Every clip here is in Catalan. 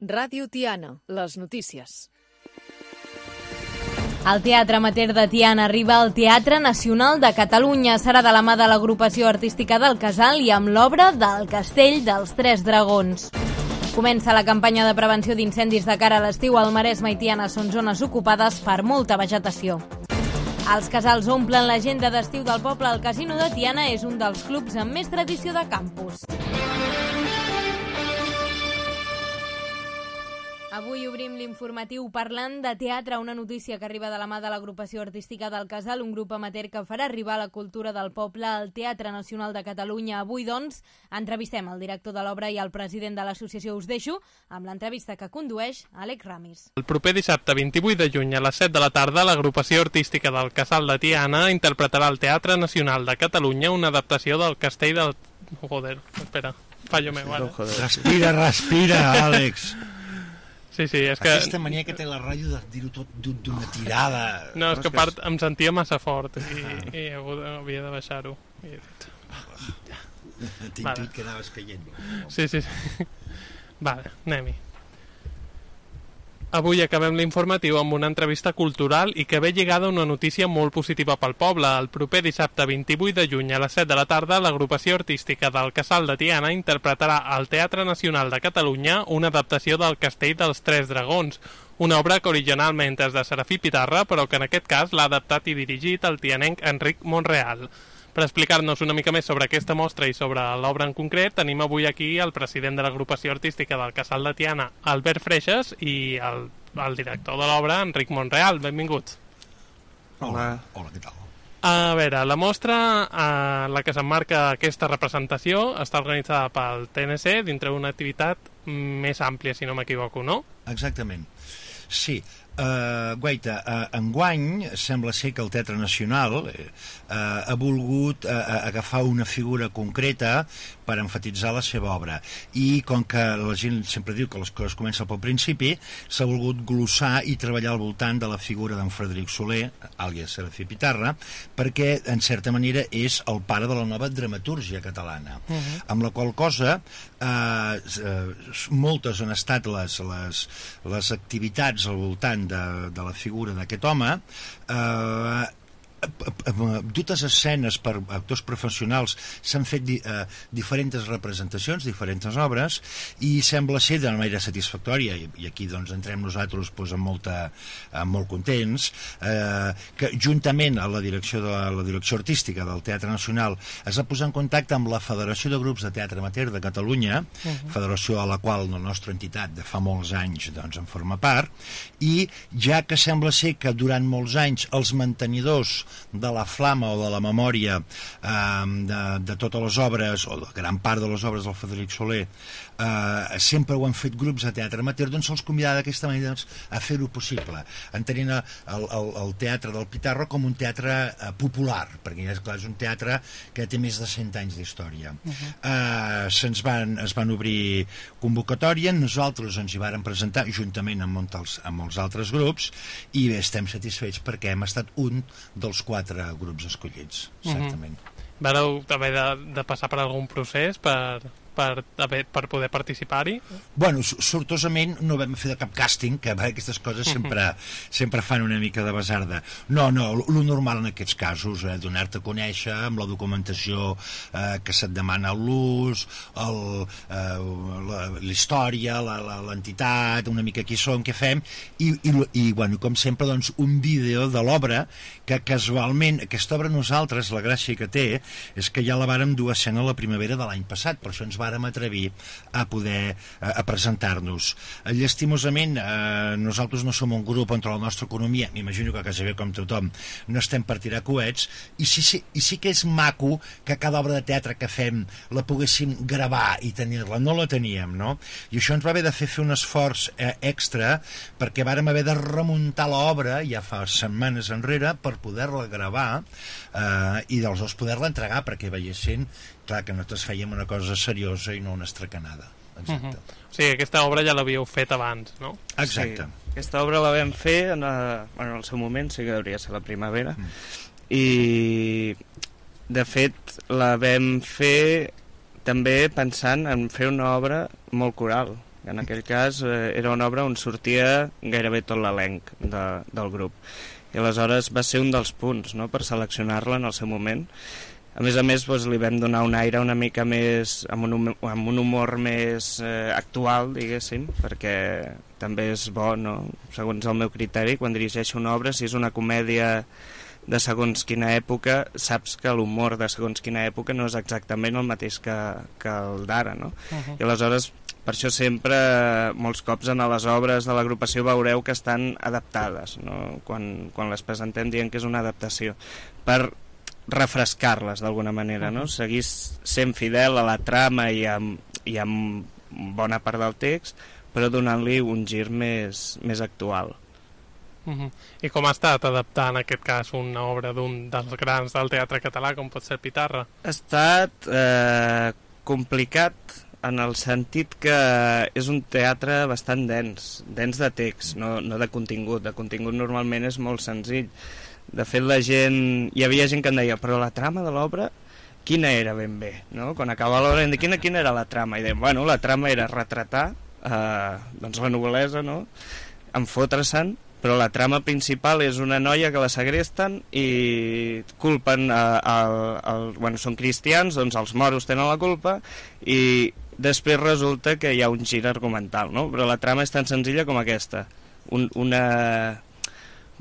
Ràdio Tiana, les notícies. El Teatre Amateur de Tiana arriba al Teatre Nacional de Catalunya. Serà de la mà de l'agrupació artística del Casal i amb l'obra del Castell dels Tres Dragons. Comença la campanya de prevenció d'incendis de cara a l'estiu. Al Maresme i Tiana són zones ocupades per molta vegetació. Els casals omplen l'agenda d'estiu del poble. El Casino de Tiana és un dels clubs amb més tradició de campus. Avui obrim l'informatiu parlant de teatre, una notícia que arriba de la mà de l'agrupació artística del Casal, un grup amateur que farà arribar la cultura del poble al Teatre Nacional de Catalunya. Avui, doncs, entrevistem el director de l'obra i el president de l'associació. Us deixo amb l'entrevista que condueix Àlex Ramis. El proper dissabte 28 de juny a les 7 de la tarda, l'agrupació artística del Casal de Tiana interpretarà al Teatre Nacional de Catalunya una adaptació del Castell del... Joder, espera, fallo meu ara. Respira, Àlex. Sí, és que... Aquesta mania que té la ràdio de dir-ho tot d'una tirada. No, és que a part em sentia massa fort i havia de baixar-ho. T'he intuït que anaves caient. Sí. Vale, anem-hi. Avui acabem l'informatiu amb una entrevista cultural i que ve lligada a una notícia molt positiva pel poble. El proper dissabte 28 de juny a les 7 de la tarda, l'agrupació artística del Casal de Tiana interpretarà al Teatre Nacional de Catalunya una adaptació del Castell dels Tres Dragons, una obra que originalment és de Serafí Pitarra, però que en aquest cas l'ha adaptat i dirigit el tianenc Enric Monreal. Per explicar-nos una mica més sobre aquesta mostra i sobre l'obra en concret, tenim avui aquí el president de l'agrupació artística del Casal de Tiana, Albert Freixas, i el director de l'obra, Enric Monreal. Benvinguts. Hola, què tal? A veure, la mostra en la que s'emmarca aquesta representació està organitzada pel TNC dintre d'una activitat més àmplia, si no m'equivoco, no? Exactament. Sí. Guaita, enguany sembla ser que el Teatre Nacional ha volgut agafar una figura concreta per enfatitzar la seva obra, i com que la gent sempre diu que les coses comencen pel principi, s'ha volgut glossar i treballar al voltant de la figura d'en Frederic Soler, àlies Serafí Pitarra, perquè en certa manera és el pare de la nova dramatúrgia catalana, amb la qual cosa moltes han estat les activitats al voltant de la figura d'aquest home, dutes escenes per actors professionals. S'han fet diferents representacions, diferents obres, i sembla ser de manera satisfactòria, i aquí doncs entrem nosaltres molt contents, que juntament a la direcció artística del Teatre Nacional es va posar en contacte amb la Federació de Grups de Teatre Amateur de Catalunya, federació a la qual la nostra entitat de fa molts anys en forma part, i ja que sembla ser que durant molts anys els mantenidors de la flama o de la memòria de totes les obres, o de gran part de les obres del Frederic Soler, sempre ho han fet grups de teatre amateur, doncs se'ls convidava d'aquesta manera a fer-ho possible, entenent el teatre del Pitarra com un teatre popular, perquè és clar, és un teatre que té més de 100 anys d'història. Es van obrir convocatòria, nosaltres ens hi vàrem presentar juntament amb molts altres grups, i bé, estem satisfets perquè hem estat un dels 4 grups escollits, certament. Vareu haver de passar per algun procés per poder participar-hi? Bueno, sortosament no vam fer de cap càsting, que aquestes coses sempre fan una mica de basarda. No, lo normal en aquests casos, donar-te a conèixer amb la documentació que se't demana l'ús, la història, l'entitat, una mica qui som, què fem, i bueno, com sempre, doncs, un vídeo de l'obra que casualment, aquesta obra nosaltres, la gràcia que té és que ja la vàrem dur a escena la primavera de l'any passat, per això ens vàrem atrevir a poder presentar-nos. Llastimosament, nosaltres no som un grup on la nostra economia, m'imagino que quasi bé com tothom, no estem per tirar coets, i sí que és maco que cada obra de teatre que fem la poguéssim gravar i tenir-la. No la teníem, no? I això ens va haver de fer un esforç extra, perquè vàrem haver de remuntar l'obra ja fa setmanes enrere per poder-la gravar i aleshores poder-la entregar perquè veiessin, clar, que nosaltres fèiem una cosa seriosa i no una estracanada. Exacte. O sigui, aquesta obra ja l'havíeu fet abans, no? Exacte. Sí, aquesta obra la vam fer en el seu moment, sí que hauria de ser la primavera, i de fet la vam fer també pensant en fer una obra molt coral, que en aquell cas era una obra on sortia gairebé tot l'elenc del grup. I aleshores va ser un dels punts, no?, per seleccionar-la en el seu moment. A més, doncs, li vam donar un aire una mica més, amb un humor més actual, diguéssim, perquè també és bo, no?, segons el meu criteri, quan dirigeixo una obra, si és una comèdia de segons quina època, saps que l'humor de segons quina època no és exactament el mateix que el d'ara, no? I aleshores, per això sempre, molts cops en les obres de l'agrupació veureu que estan adaptades, no?, quan les presentem dient que és una adaptació, per refrescar-les d'alguna manera, no? Seguir sent fidel a la trama i amb bona part del text, però donant-li un gir més actual. I com ha estat adaptar en aquest cas una obra d'un dels grans del teatre català com pot ser Pitarra? Ha estat complicat en el sentit que és un teatre bastant dens de text, no de contingut. De contingut normalment és molt senzill. De fet, hi havia gent que em deia, però la trama de l'obra quina era ben bé, no? Quan acabava l'obra em deia, quina era la trama? I deia, bueno, la trama era retratar doncs la noblesa, no?, en fotre-se'n, però la trama principal és una noia que la segresten i culpen bueno, són cristians, doncs els moros tenen la culpa i després resulta que hi ha un gir argumental, no? Però la trama és tan senzilla com aquesta, com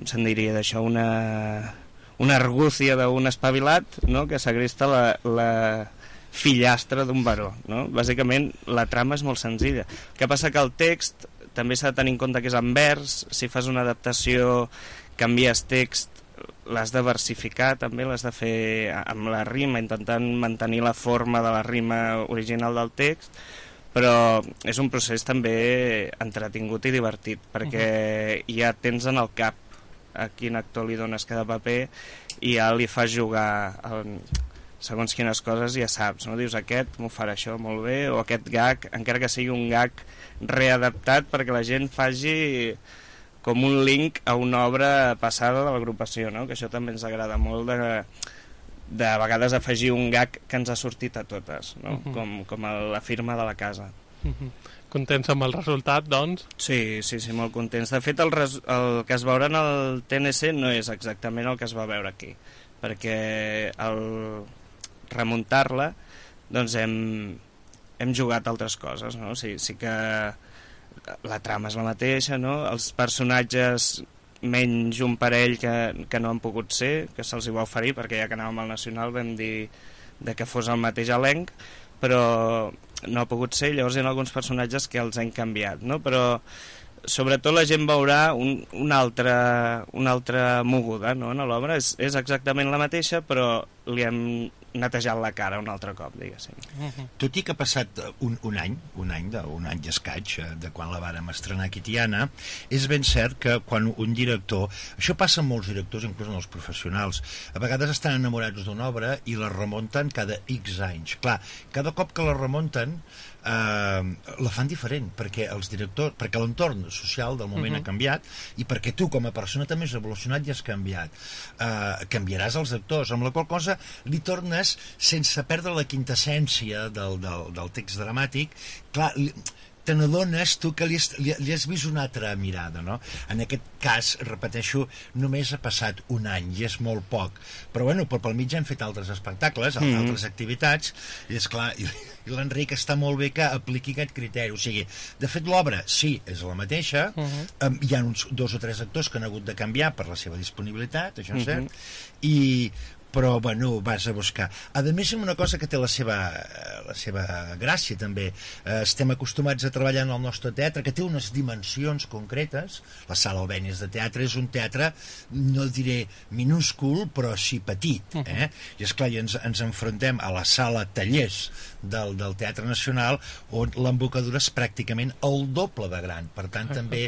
se'n diria d'això, una argúcia d'un espavilat, no?, que segresta la fillastra d'un baró, no? Bàsicament la trama és molt senzilla. El que passa que el text també s'ha de tenir en compte que és en vers, si fas una adaptació, canvies text, l'has de versificar també, l'has de fer amb la rima, intentant mantenir la forma de la rima original del text, però és un procés també entretingut i divertit, perquè ja tens en el cap a quin actor li dones cada paper i ja li fas jugar segons quines coses, ja saps, no? Dius, aquest m'ho farà això molt bé, o aquest gag, encara que sigui un gag readaptat perquè la gent faci com un link a una obra passada de l'agrupació, no? Que això també ens agrada molt de vegades afegir un gag que ens ha sortit a totes, no? Com la firma de la casa. Contents amb el resultat, doncs? Sí, molt contents. De fet, el que es veurà en el TNC no és exactament el que es va veure aquí, perquè al remuntar-la doncs hem jugat altres coses, no? Sí que la trama és la mateixa, no? Els personatges, menys un parell que no han pogut ser, que se'ls hi va oferir, perquè ja que anàvem al Nacional vam dir que fos el mateix elenc, però no ha pogut ser, llavors hi ha alguns personatges que els hem canviat, no? Però sobretot la gent veurà una altra moguda, no?, en l'obra. És exactament la mateixa, però li hem netejat la cara un altre cop, diguéssim. Tot i que ha passat un any i escaig de quan la vàrem estrenar aquí a Tiana, és ben cert que quan un director, això passa amb molts directors, inclús en els professionals, a vegades estan enamorats d'una obra i la remunten cada X anys. Clar, cada cop que la remunten la fan diferent, perquè els directors, perquè l'entorn social del moment ha canviat i perquè tu com a persona també has evolucionat i has canviat. Canviaràs els actors, amb la qual cosa li tornes sense perdre la quintessència del text dramàtic. Clar, te n'adones tu que li has vist una altra mirada, no? En aquest cas, repeteixo, només ha passat un any i és molt poc, però bueno, pel mig hem fet altres espectacles, altres activitats, i esclar, i l'Enric està molt bé que apliqui aquest criteri. O sigui, de fet l'obra sí, és la mateixa, hi ha uns 2 o 3 actors que han hagut de canviar per la seva disponibilitat, això és cert, però bueno, vas a buscar. A més, una cosa que té la seva gràcia també, estem acostumats a treballar en el nostre teatre, que té unes dimensions concretes. La Sala Albéniz de Teatre és un teatre, no diré minúscul, però sí petit, i esclar, ens enfrontem a la Sala Tallers del Teatre Nacional, on l'embocadura és pràcticament el doble de gran, per tant també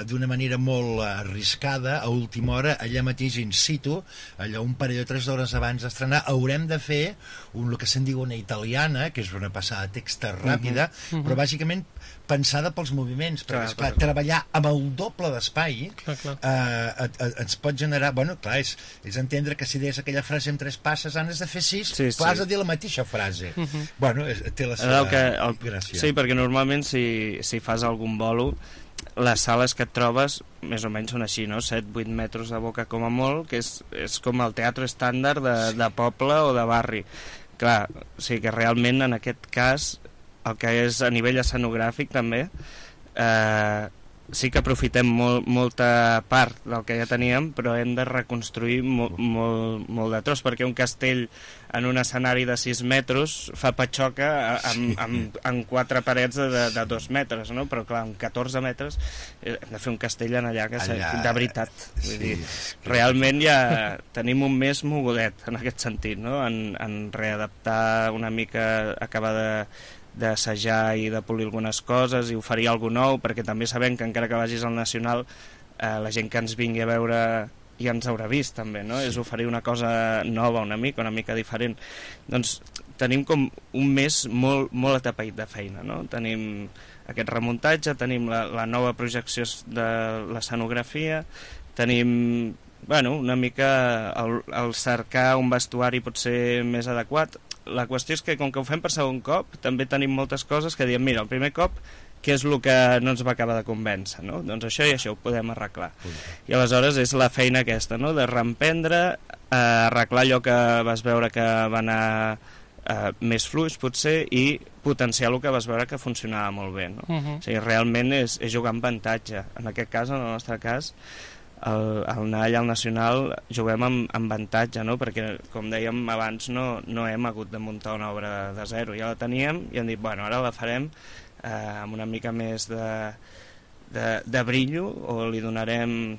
d'una manera molt arriscada, a última hora, allà mateix in situ, allà un parell o 3 d'hores hores abans d'estrenar haurem de fer el que se'n diu una italiana, que és una passada de text ràpida, però bàsicament pensada pels moviments, perquè esclar, treballar amb el doble d'espai ens pot generar, bueno, clar, és entendre que si deies aquella frase en 3 passes has de fer 6, però has de dir la mateixa frase. Bueno, té la seva gràcia. Sí, perquè normalment si fas algun bolo, les sales que et trobes més o menys són així, no? 7-8 metres de boca com a molt, que és com el teatre estàndard de poble o de barri. Clar, o sigui que realment en aquest cas el que és a nivell escenogràfic també sí que aprofitem molta part del que ja teníem, però hem de reconstruir molt de tros, perquè un castell en un escenari de 6 metres fa patxoca amb 4 parets de 2 metres, no? Però clar, amb 14 metres hem de fer un castell allà que de veritat. Vull dir, realment ja tenim un mes mogudet en aquest sentit, no? En readaptar una mica, acabar d'assajar i de polir algunes coses i oferir alguna nou, perquè també sabem que encara que vagis al Nacional la gent que ens vingui a veure ja ens haurà vist també, no? És oferir una cosa nova una mica diferent. Doncs tenim com un mes molt atapeït de feina, no? Tenim aquest remuntatge, tenim la nova projecció de l'escenografia, tenim una mica el cercar un vestuari potser més adequat. La qüestió és que com que ho fem per segon cop també tenim moltes coses que diem, mira, el primer cop què és el que no ens va acabar de convèncer, no? Doncs això i això ho podem arreglar. I aleshores és la feina aquesta, no? De reemprendre, arreglar allò que vas veure que va anar més fluix potser i potenciar el que vas veure que funcionava molt bé, no? O sigui, realment és jugar amb avantatge. En aquest cas, en el nostre cas, al anar allà al Nacional juguem amb avantatge, no? Perquè com dèiem abans no hem hagut de muntar una obra de zero, ja la teníem i hem dit, bueno, ara la farem amb una mica més de brillo, o li donarem,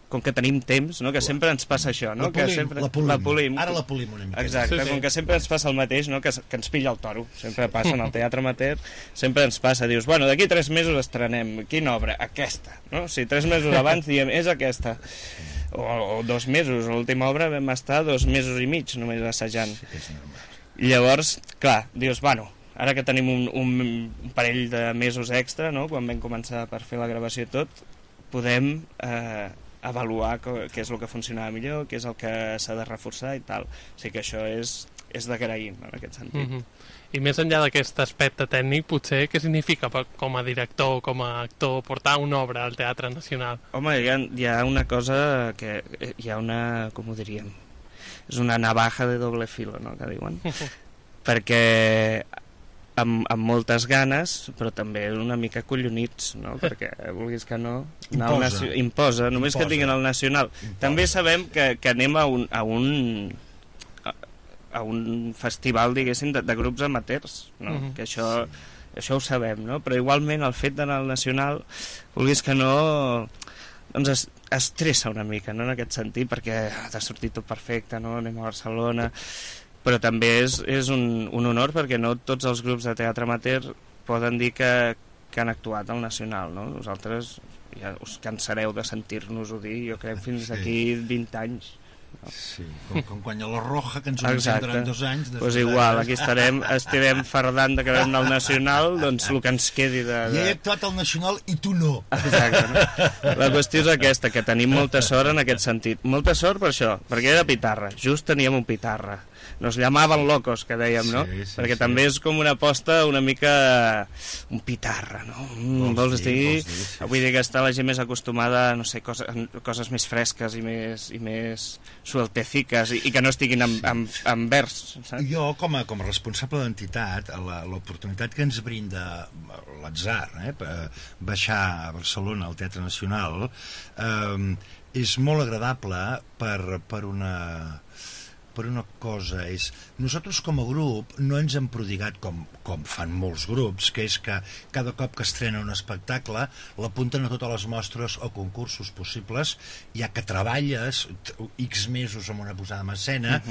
com que tenim temps, no? Que sempre ens passa això, no? La polim. Ara la polim una mica. Exacte, com que sempre ens passa el mateix, no? Que ens pilla el toro, sempre passa en el teatre amateur, sempre ens passa, dius, bueno, d'aquí 3 mesos estrenem, quina obra? Aquesta, no? Si 3 mesos abans diem, és aquesta, o 2 mesos, l'última obra vam estar 2 mesos i mig només assajant. I llavors, clar, dius, bueno, ara que tenim un parell de mesos extra, no? Quan vam començar per fer la gravació i tot, podem avaluar què és el que funcionava millor, què és el que s'ha de reforçar i tal. O sigui que això és d'agrair, en aquest sentit. I més enllà d'aquest aspecte tècnic, potser què significa com a director, com a actor, portar una obra al Teatre Nacional? Home, hi ha una cosa que hi ha una, com ho diríem, és una navaja de doble filo, no?, que diuen. Perquè amb moltes ganes, però també una mica collonits, no? Perquè vulguis que no, imposa, només que tinguin el Nacional. També sabem que anem a un festival, diguéssim, de grups amateurs, no? Que això ho sabem, no? Però igualment el fet d'anar al Nacional, vulguis que no, doncs estressa una mica, no?, en aquest sentit, perquè ha de sortir tot perfecte, no? Anem a Barcelona, però també és un honor, perquè no tots els grups de teatre amateur poden dir que han actuat al Nacional, no? Vosaltres ja us cansareu de sentir-nos-ho dir, jo crec, fins d'aquí 20 anys. No? Sí, com quan a la Roja, que ens ho anunciem durant 2 anys. Doncs igual, aquí estarem fardant de que vam anar al Nacional, doncs el que ens quedi de... I he actuat al Nacional i tu no. Exacte, no? La qüestió és aquesta, que tenim molta sort en aquest sentit. Molta sort per això, perquè era pitarra, just teníem un pitarra. Nos llamaven locos, que dèiem, no? Perquè també és com una aposta una mica un pitarra, no? Vols dir? Vull dir que està la gent més acostumada a, no sé, coses més fresques i més suelteciques i que no estiguin en vers, saps? Jo, com a responsable d'entitat, l'oportunitat que ens brinda l'atzar, baixar a Barcelona al Teatre Nacional, és molt agradable per una cosa, és nosaltres com a grup no ens hem prodigat com fan molts grups, que és que cada cop que estrena un espectacle l'apunten a totes les mostres o concursos possibles, ja que treballes X mesos amb una posada en escena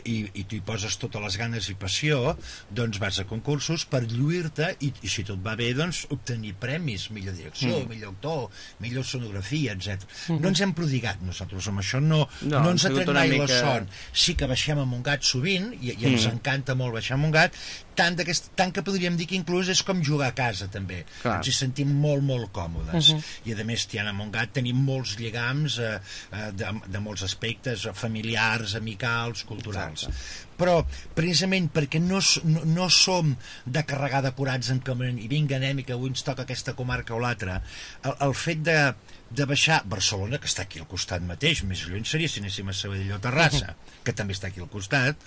i tu hi poses totes les ganes i passió, doncs vas a concursos per lluir-te i si tot va bé, doncs obtenir premis, millor direcció, millor autor, millor sonografia, etc. No ens hem prodigat nosaltres amb això, no ens ha tret mai la son. Sí que que baixem a Montgat sovint, i ens encanta molt baixar a Montgat, tant que podríem dir que inclús és com jugar a casa també. Clar. Ens hi sentim molt, molt còmodes. I a més, Tiana Montgat tenim molts lligams de molts aspectes, familiars, amicals, culturals. Però precisament perquè no som de carregar de curats en camerament i vinga, anem, i que avui ens toca aquesta comarca o l'altra, el fet de baixar Barcelona, que està aquí al costat mateix, més lluny seria si anéssim a Sabadell o Terrassa, que també està aquí al costat,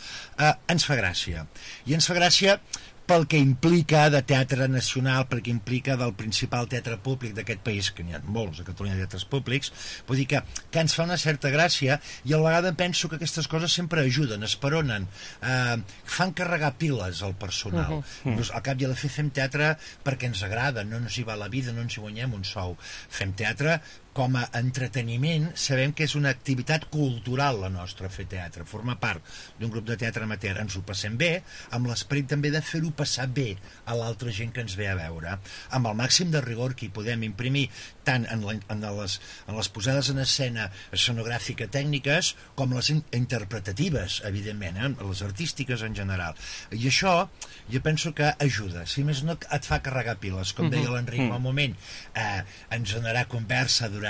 ens fa gràcia. I ens fa gràcia pel que implica de teatre nacional, pel que implica del principal teatre públic d'aquest país, que n'hi ha molts a Catalunya de teatres públics, vull dir que ens fa una certa gràcia, i a la vegada penso que aquestes coses sempre ajuden, esperonen, fan carregar piles al personal. Al cap i a la fi fem teatre perquè ens agrada, no ens hi va la vida, no ens hi guanyem un sou. Fem teatre com a entreteniment, sabem que és una activitat cultural la nostra, fer teatre, formar part d'un grup de teatre amateur. Ens ho passem bé, amb l'esperit també de fer-ho passar bé a l'altra gent que ens ve a veure, amb el màxim de rigor que hi podem imprimir, tant en les posades en escena escenogràfica tècniques com les interpretatives, evidentment, les artístiques en general. I això jo penso que ajuda, si més no et fa carregar piles, com deia l'Enric fa un moment, ens donarà conversa durant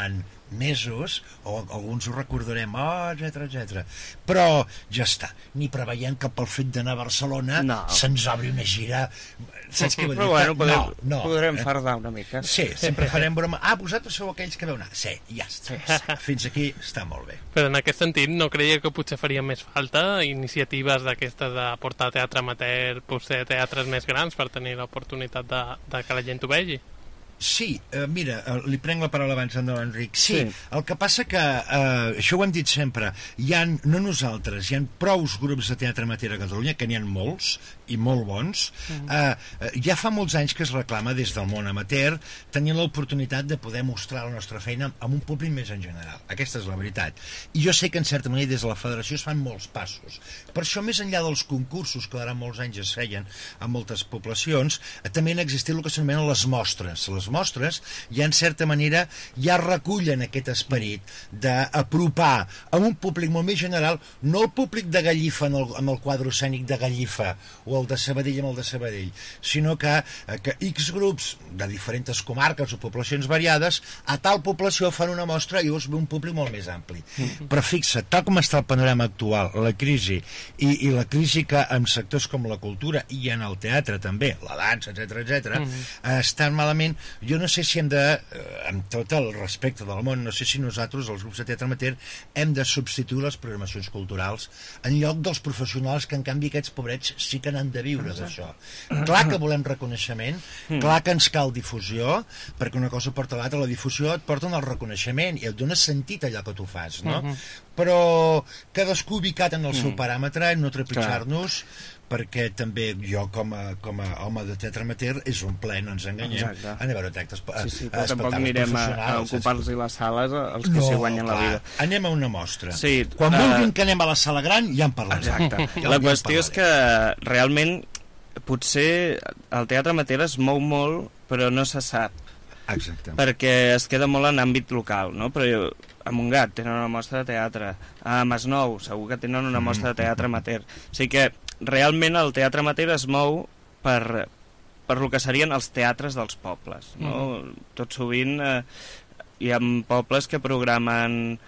mesos, o alguns ho recordarem, etc. Però ja està, ni preveiem que pel fet d'anar a Barcelona se'ns obri una gira, saps què vull dir? Però bueno, podrem fardar una mica. Sí, sempre farem broma. Vosaltres sou aquells que veu anar. Sí, ja està. Fins aquí està molt bé. Però en aquest sentit, no creia que potser faria més falta iniciatives d'aquestes de portar teatre amateur, potser teatres més grans, per tenir l'oportunitat de que la gent ho vegi? Sí, mira, li prenc la paraula abans de l'Enric. Sí, el que passa que, això ho hem dit sempre, no nosaltres, hi ha prous grups de teatre amateur a Catalunya, que n'hi ha molts, i molt bons. Ja fa molts anys que es reclama des del món amateur tenir l'oportunitat de poder mostrar la nostra feina amb un públic més en general. Aquesta és la veritat. I jo sé que en certa manera des de la federació es fan molts passos. Per això, més enllà dels concursos que durant molts anys es feien a moltes poblacions, també han existit el que s'anomenen les mostres. Les mostres ja en certa manera ja recullen aquest esperit d'apropar a un públic molt més general, no el públic de Gallifa amb el quadre escènic de Gallifa o el de Sabadell amb el de Sabadell, sinó que X grups de diferents comarques o poblacions variades a tal població fan una mostra i llavors ve un públic molt més ampli. Però fixa't, tal com està el panorama actual, la crisi i la crisi que en sectors com la cultura i en el teatre també, la dansa, etc, estan malament. Jo no sé si hem de, amb tot el respecte del món, no sé si nosaltres, els grups de teatre amateur, hem de substituir les programacions culturals en lloc dels professionals que en canvi aquests pobrets sí que n'han de viure d'això. Clar que volem reconeixement, clar que ens cal difusió, perquè una cosa porta a l'altra, la difusió et porta al reconeixement i et dona sentit allò que tu fas, no? Però cadascú ubicat en el seu paràmetre, no trepitjar-nos, perquè també jo com a home de teatre amateur és un ple, no ens enganyem, anar a veure espectacles però tampoc anirem a ocupar-los les sales els que s'hi guanyen la vida. Anem a una mostra. Quan vulguin que anem a la sala gran ja en parlem. Exacte. La qüestió és que realment potser el teatre amateur es mou molt però no se sap. Exacte. Perquè es queda molt en àmbit local, no? Però a Montgat tenen una mostra de teatre, a Masnou segur que tenen una mostra de teatre amateur. O sigui que realment el teatre amateur es mou per el que serien els teatres dels pobles, no? Tot sovint hi ha pobles que programen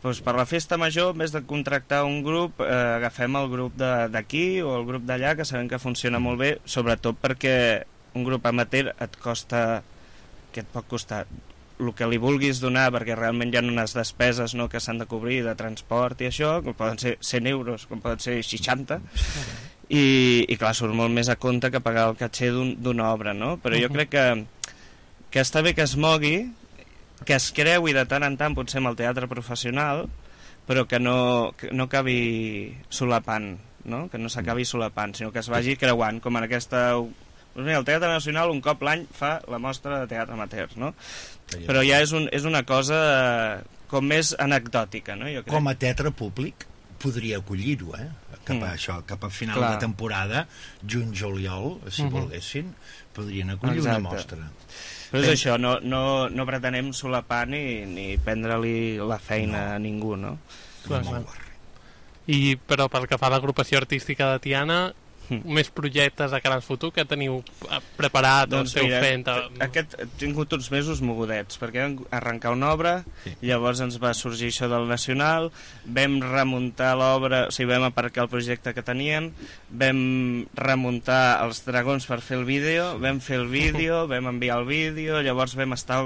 per la festa major, en vez de contractar un grup, agafem el grup d'aquí o el grup d'allà, que sabem que funciona molt bé, sobretot perquè un grup amateur et pot costar el que li vulguis donar, perquè realment hi ha unes despeses, no, que s'han de cobrir de transport i això, que poden ser 100 euros, com poden ser 60, i clar, surt molt més a compte que pagar el caché d'una obra, no? Però jo crec que està bé que es mogui, que es creui de tant en tant potser amb el teatre professional, però que no acabi solapant, no? Que no s'acabi solapant, sinó que es vagi creuant, com en aquesta... El Teatre Nacional un cop l'any fa la mostra de teatre amateur, no? Però ja és una cosa com més anecdòtica, no? Jo crec. Com a teatre públic podria acollir-ho, cap a final de temporada, juny-juliol, si volguessin, podrien acollir una mostra. Però és això, no pretenem solapar ni prendre-li la feina a ningú, no? Però pel que fa a l'agrupació artística de Tiana, més projectes de cara al futur que teniu preparat o esteu fent? Aquest he tingut uns mesos mogudets perquè vam arrencar una obra, llavors ens va sorgir això del Nacional, vam remuntar l'obra, o sigui, vam aparcar el projecte que teníem, vam remuntar els dragons per fer el vídeo, vam fer el vídeo, vam enviar el vídeo, llavors vam estar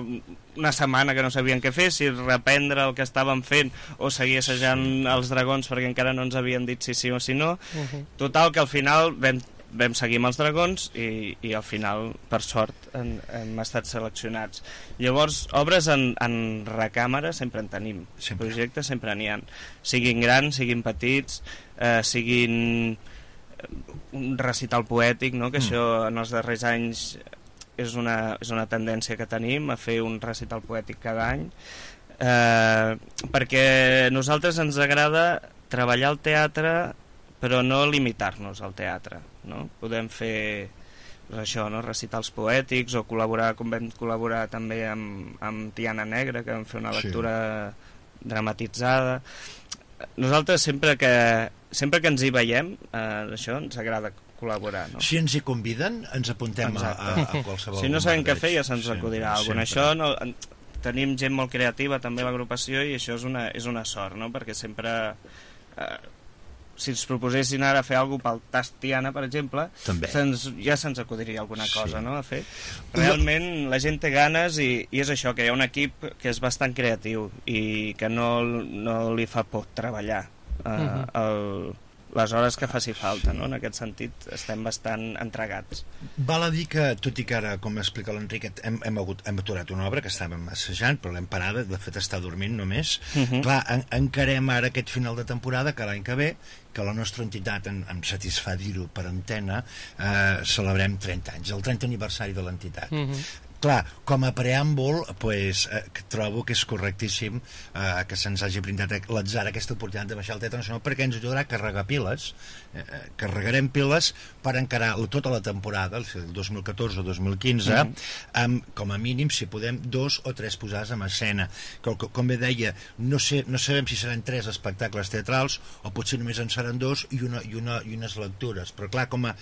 una setmana que no sabien què fer, si reprendre el que estàvem fent o seguir assajant els dragons perquè encara no ens havien dit si sí o si no. Total, que al final vam seguir amb els dragons i al final, per sort, hem estat seleccionats. Llavors, obres en recàmera sempre en tenim, projectes sempre n'hi ha, siguin grans, siguin petits, siguin un recital poètic, no? Que això en els darrers anys és una tendència que tenim, a fer un recital poètic cada any, perquè a nosaltres ens agrada treballar el teatre però no limitar-nos al teatre, no? Podem fer això, no? Recitals poètics o col·laborar, com vam col·laborar també amb Tiana Negra, que vam fer una lectura dramatitzada. Nosaltres sempre que ens hi veiem, això ens agrada col·laborar, no? Si ens hi conviden, ens apuntem a qualsevol. Si no sabem què fer, ja se'ns acudirà alguna cosa. Això no, tenim gent molt creativa també a l'agrupació i això és una sort, no? Perquè sempre si ens proposessin ara fer alguna cosa pel Tast Tiana, per exemple, ja se'ns acudiria alguna cosa, no? A fer. Realment la gent té ganes i és això, que hi ha un equip que és bastant creatiu i que no li fa por treballar les hores que faci falta, no? En aquest sentit estem bastant entregats. Val a dir que, tot i que ara, com explica l'Enric, hem aturat una obra que estàvem assajant, però l'hem parada, de fet està dormint només. Clar, encarem ara aquest final de temporada, que l'any que ve, que la nostra entitat, em satisfà dir-ho per antena, celebrem 30 anys, el 30 aniversari de l'entitat. Clar, com a preàmbul, trobo que és correctíssim que se'ns hagi brindat l'atzar aquesta oportunitat de baixar al Teatre Nacional, perquè ens ajudarà a carregar piles, carregarem piles per encarar tota la temporada, el 2014 o 2015, amb, com a mínim, si podem, 2 o 3 posades en escena. Com bé deia, no sabem si seran 3 espectacles teatrals o potser només en seran 2 i unes lectures, però clar, com a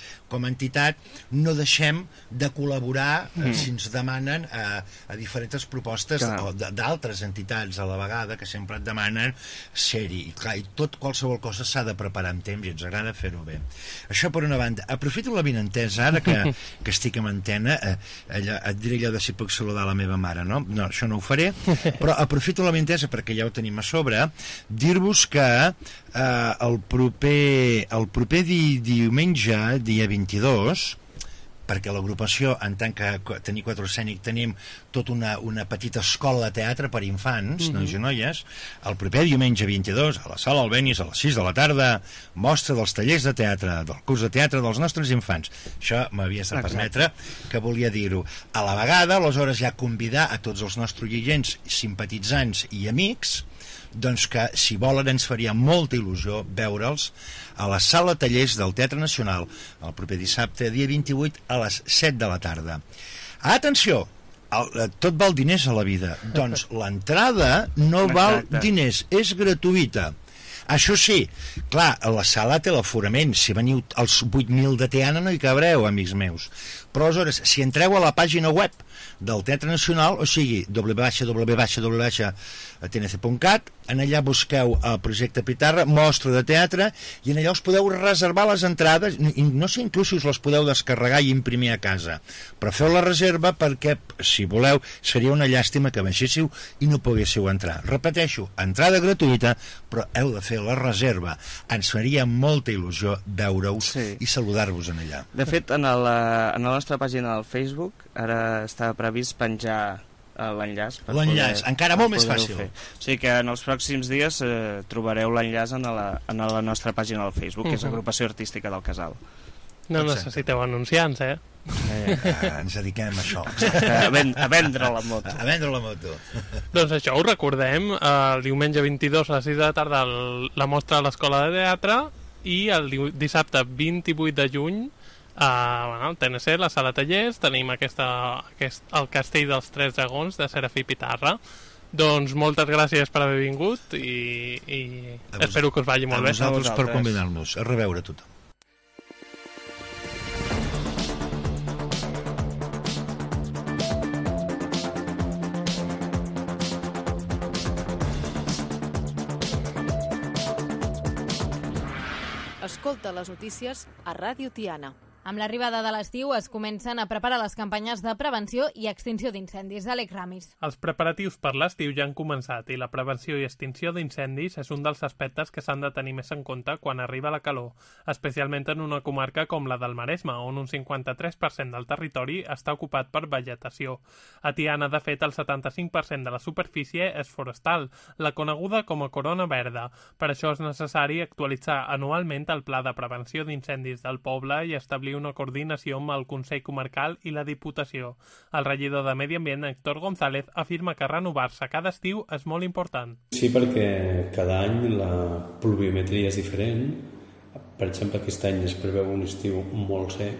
entitat no deixem de col·laborar si ens demanen a diferents propostes d'altres entitats a la vegada que sempre et demanen ser-hi. I qualsevol cosa s'ha de preparar amb temps i ens agrada fer-ho bé. Això per una banda. Aprofito la vinentesa, ara que estic en antena, et diré allò de si puc saludar la meva mare, no? No, això no ho faré, però aprofito la vinentesa perquè ja ho tenim a sobre, dir-vos que el proper diumenge, dia 22, perquè l'agrupació, en tant que tenir Quatre Escènic, tenim tota una petita escola de teatre per infants, nois i noies. El proper diumenge 22, a la Sala Albéniz, a les 6 de la tarda, mostra dels tallers de teatre, del curs de teatre dels nostres infants. Això m'havies de permetre, que volia dir-ho. A la vegada, aleshores, ja convidar a tots els nostres oients, simpatitzants i amics, doncs que, si volen, ens faria molta il·lusió veure'ls a la Sala Tallers del Teatre Nacional el proper dissabte, dia 28, a les 7 de la tarda. Atenció! Tot val diners a la vida. Doncs l'entrada no val diners, és gratuïta. Això sí, clar, la sala té l'aforament. Si veniu als 8.000 de Tiana no hi cabreu, amics meus. Però aleshores, si entreu a la pàgina web del Teatre Nacional, o sigui, www.tnc.cat, en allà busqueu el projecte Pitarra, mostra de teatre, i en allà us podeu reservar les entrades, no sé inclús si us les podeu descarregar i imprimir a casa, però feu la reserva perquè, si voleu, seria una llàstima que baixéssiu i no poguéssiu entrar. Repeteixo, entrada gratuïta, però heu de fer la reserva. Ens faria molta il·lusió veure-us i saludar-vos en allà. De fet, en la nostra pàgina del Facebook ara està previst penjar l'enllaç. L'enllaç, encara molt més fàcil. O sigui que en els pròxims dies trobareu l'enllaç en la nostra pàgina del Facebook, que és Agrupació Artística del Casal. No necessiteu anunciants, ens dediquem a això. A vendre la moto. A vendre la moto. Doncs això, ho recordem, el diumenge 22 a les 6 de la tarda la mostra a l'Escola de Teatre i el dissabte 28 de juny al TNC, la Sala Tallers, tenim el Castell dels Tres Dragons de Serafí Pitarra. Doncs moltes gràcies per haver vingut i espero que us vagi molt bé. A vosaltres per convidar-nos. A reveure tothom. Escolta les notícies a Ràdio Tiana. Amb l'arribada de l'estiu es comencen a preparar les campanyes de prevenció i extinció d'incendis. Àlex Ramis. Els preparatius per l'estiu ja han començat i la prevenció i extinció d'incendis és un dels aspectes que s'han de tenir més en compte quan arriba la calor, especialment en una comarca com la del Maresme, on un 53% del territori està ocupat per vegetació. A Tiana, de fet, el 75% de la superfície és forestal, la coneguda com a corona verda. Per això és necessari actualitzar anualment el pla de prevenció d'incendis del poble i establir una coordinació amb el Consell Comarcal i la Diputació. El regidor de Medi Ambient, Héctor González, afirma que renovar-se cada estiu és molt important. Sí, perquè cada any la pluviometria és diferent. Per exemple, aquest any es preveu un estiu molt sec.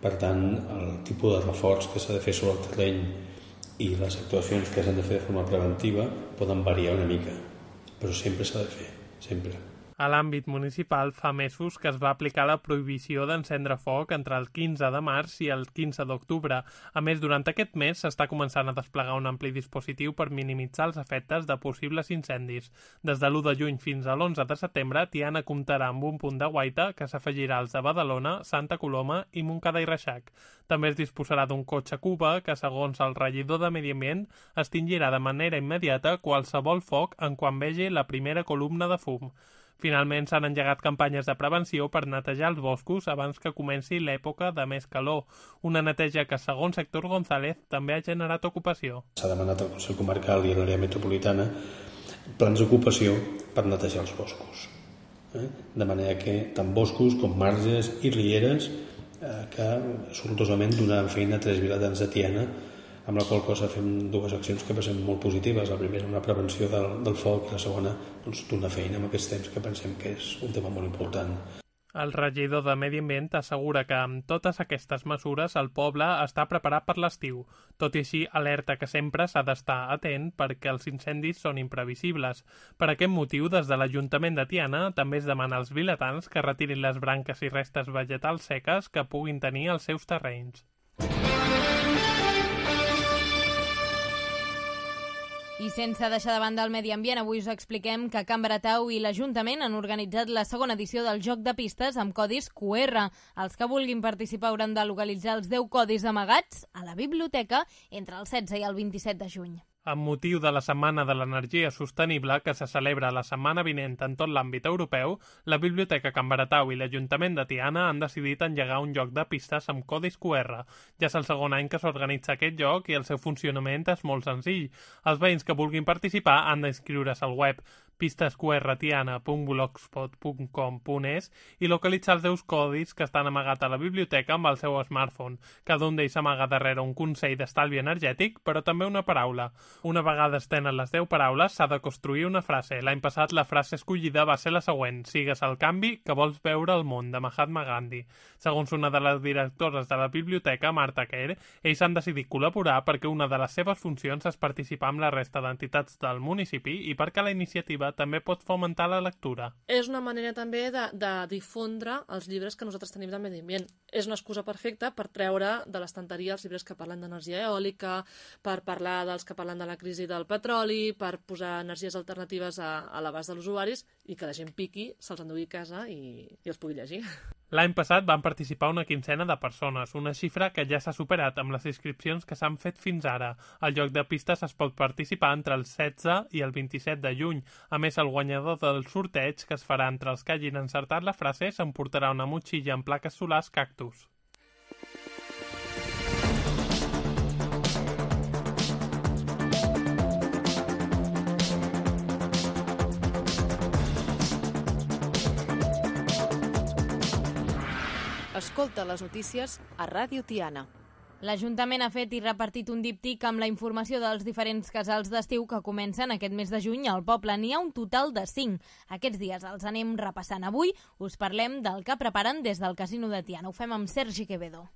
Per tant, el tipus de reforç que s'ha de fer sobre el terreny i les actuacions que s'han de fer de forma preventiva poden variar una mica, però sempre s'ha de fer, sempre. A l'àmbit municipal, fa mesos que es va aplicar la prohibició d'encendre foc entre el 15 de març i el 15 d'octubre. A més, durant aquest mes s'està començant a desplegar un ampli dispositiu per minimitzar els efectes de possibles incendis. Des de l'1 de juny fins a l'11 de setembre, Tiana comptarà amb un punt de guaita que s'afegirà als de Badalona, Santa Coloma i Montcada i Reixac. També es disposarà d'un cotxe Cuba que, segons el regidor de Medi Ambient, extingirà de manera immediata qualsevol foc en quan vegi la primera columna de fum. Finalment, s'han engegat campanyes de prevenció per netejar els boscos abans que comenci l'època de més calor. Una neteja que, segons Héctor González, també ha generat ocupació. S'ha demanat al Consell Comarcal i a l'àrea metropolitana plans d'ocupació per netejar els boscos. De manera que tant boscos com marges i rieres que sortosament donaran feina a 3 vilatans de Tiana, amb la qual cosa fem dues accions que pensem molt positives. La primera, una prevenció del foc, i la segona, doncs, donar feina en aquests temps que pensem que és un tema molt important. El regidor de Medi Ambient assegura que amb totes aquestes mesures el poble està preparat per l'estiu. Tot i així, alerta que sempre s'ha d'estar atent perquè els incendis són imprevisibles. Per aquest motiu, des de l'Ajuntament de Tiana també es demana als vilatans que retirin les branques i restes vegetals seques que puguin tenir als seus terrenys. I sense deixar de banda el medi ambient, avui us expliquem que Can Baratau i l'Ajuntament han organitzat la segona edició del joc de pistes amb codis QR. Els que vulguin participar hauran de localitzar els 10 codis amagats a la biblioteca entre el 16 i el 27 de juny. Amb motiu de la Setmana de l'Energia Sostenible, que se celebra la setmana vinent en tot l'àmbit europeu, la Biblioteca Can Baratau i l'Ajuntament de Tiana han decidit engegar un joc de pistes amb codis QR. Ja és el segon any que s'organitza aquest joc i el seu funcionament és molt senzill. Els veïns que vulguin participar han d'inscriure's al web pistesqrtiana.blogspot.com.es i localitzar els 10 codis que estan amagats a la biblioteca amb el seu smartphone. Cada un d'ells s'amaga darrere un consell d'estalvi energètic, però també una paraula. Una vegada es tenen les 10 paraules, s'ha de construir una frase. L'any passat la frase escollida va ser la següent: sigues el canvi que vols veure al món, de Mahatma Gandhi. Segons una de les directores de la biblioteca, Marta Kerr, ells han decidit col·laborar perquè una de les seves funcions és participar amb la resta d'entitats del municipi i perquè la iniciativa també pot fomentar la lectura. És una manera també de difondre els llibres que nosaltres tenim de medi ambient. És una excusa perfecta per treure de l'estanteria els llibres que parlen d'energia eòlica, per parlar dels que parlen de la crisi del petroli, per posar energies alternatives a l'abast dels usuaris i que la gent piqui, se'ls endugui a casa i els pugui llegir. L'any passat van participar una quinzena de persones, una xifra que ja s'ha superat amb les inscripcions que s'han fet fins ara. Al joc de pistes es pot participar entre el 16 i el 27 de juny. A més, el guanyador del sorteig, que es farà entre els que hagin encertat la frase, s'emportarà una motxilla amb plaques solars Cactus. Escolta les notícies a Ràdio Tiana. L'Ajuntament ha fet i repartit un díptic amb la informació dels diferents casals d'estiu que comencen aquest mes de juny al poble. N'hi ha un total de 5. Aquests dies els anem repassant. Avui us parlem del que preparen des del Casino de Tiana. Ho fem amb Sergi Quevedo.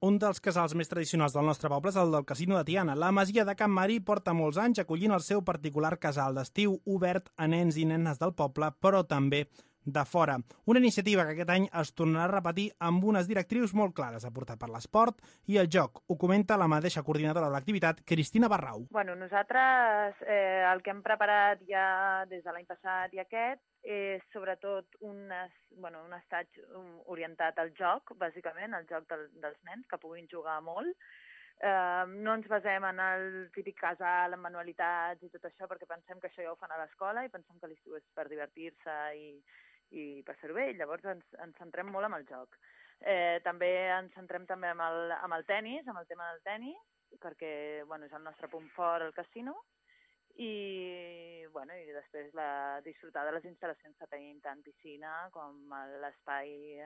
Un dels casals més tradicionals del nostre poble és el del Casino de Tiana. La masia de Can Marí porta molts anys acollint el seu particular casal d'estiu obert a nens i nenes del poble, però també de fora. Una iniciativa que aquest any es tornarà a repetir amb unes directrius molt clares, aportar per l'esport i el joc. Ho comenta la mateixa coordinadora de l'activitat, Cristina Barrau. Bueno, nosaltres el que hem preparat ja des de l'any passat i aquest és sobretot un assaig orientat al joc, bàsicament, al joc dels nens, que puguin jugar molt. No ens basem en el típic casal amb manualitats i tot això, perquè pensem que això ja ho fan a l'escola i pensem que l'estiu és per divertir-se i passar-ho bé, llavors ens centrem molt en el joc. També ens centrem també amb el tennis, amb el tema del tennis, perquè és el nostre punt fort al casino, i després disfrutar de les instal·lacions que tenim, tant piscina com l'espai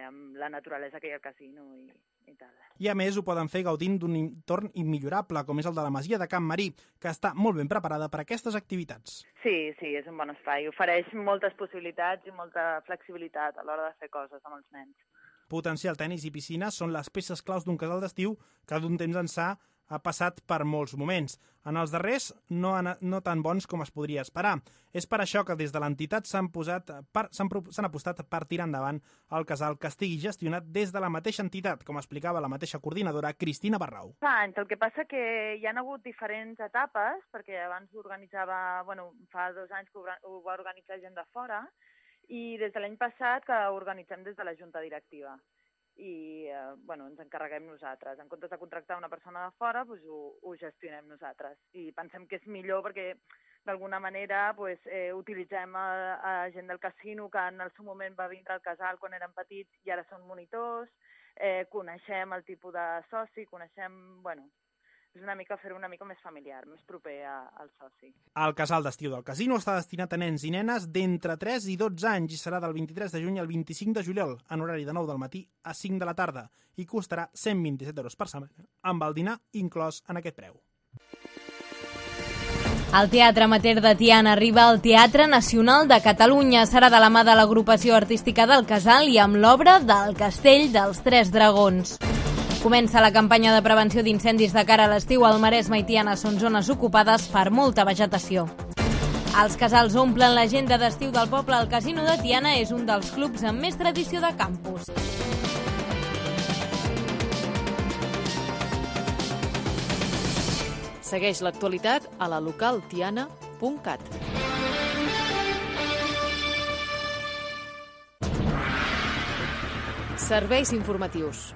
amb la naturalesa que hi ha al casino i tal. I a més ho poden fer gaudint d'un entorn immillorable, com és el de la masia de Can Marí, que està molt ben preparada per a aquestes activitats. Sí, és un bon espai. Ofereix moltes possibilitats i molta flexibilitat a l'hora de fer coses amb els nens. Potenciar el tennis i piscina són les peces claus d'un casal d'estiu que d'un temps ençà ha passat per molts moments. En els darrers no tan bons com es podria esperar. És per això que des de l'entitat s'han apostat per tirar endavant el casal que estigui gestionat des de la mateixa entitat, com explicava la mateixa coordinadora, Cristina Barrau. Fa anys, el que passa que hi ha hagut diferents etapes, perquè abans ho organitzava, fa 2 anys que ho va organitzar gent de fora, i des de l'any passat que ho organitzem des de la Junta Directiva. I ens encarreguem nosaltres. En comptes de contractar una persona de fora, ho gestionem nosaltres. I pensem que és millor perquè, d'alguna manera, utilitzem a gent del casino que en el seu moment va vindre al casal quan eren petits i ara són monitors, coneixem el tipus de soci, és una mica fer-ho una mica més familiar, més proper al soci. El casal d'estiu del casino està destinat a nens i nenes d'entre 3 i 12 anys i serà del 23 de juny al 25 de juliol, en horari de 9 del matí a 5 de la tarda, i costarà 127 € per setmana, amb el dinar inclòs en aquest preu. El Teatre Amateur de Tiana arriba al Teatre Nacional de Catalunya. Serà de la mà de l'agrupació artística del Casal i amb l'obra del Castell dels Tres Dragons. Comença la campanya de prevenció d'incendis de cara a l'estiu. Al Maresme i Tiana són zones ocupades per molta vegetació. Els casals omplen l'agenda d'estiu del poble. El Casino de Tiana és un dels clubs amb més tradició de campus. Segueix l'actualitat a la localtiana.cat. Serveis informatius.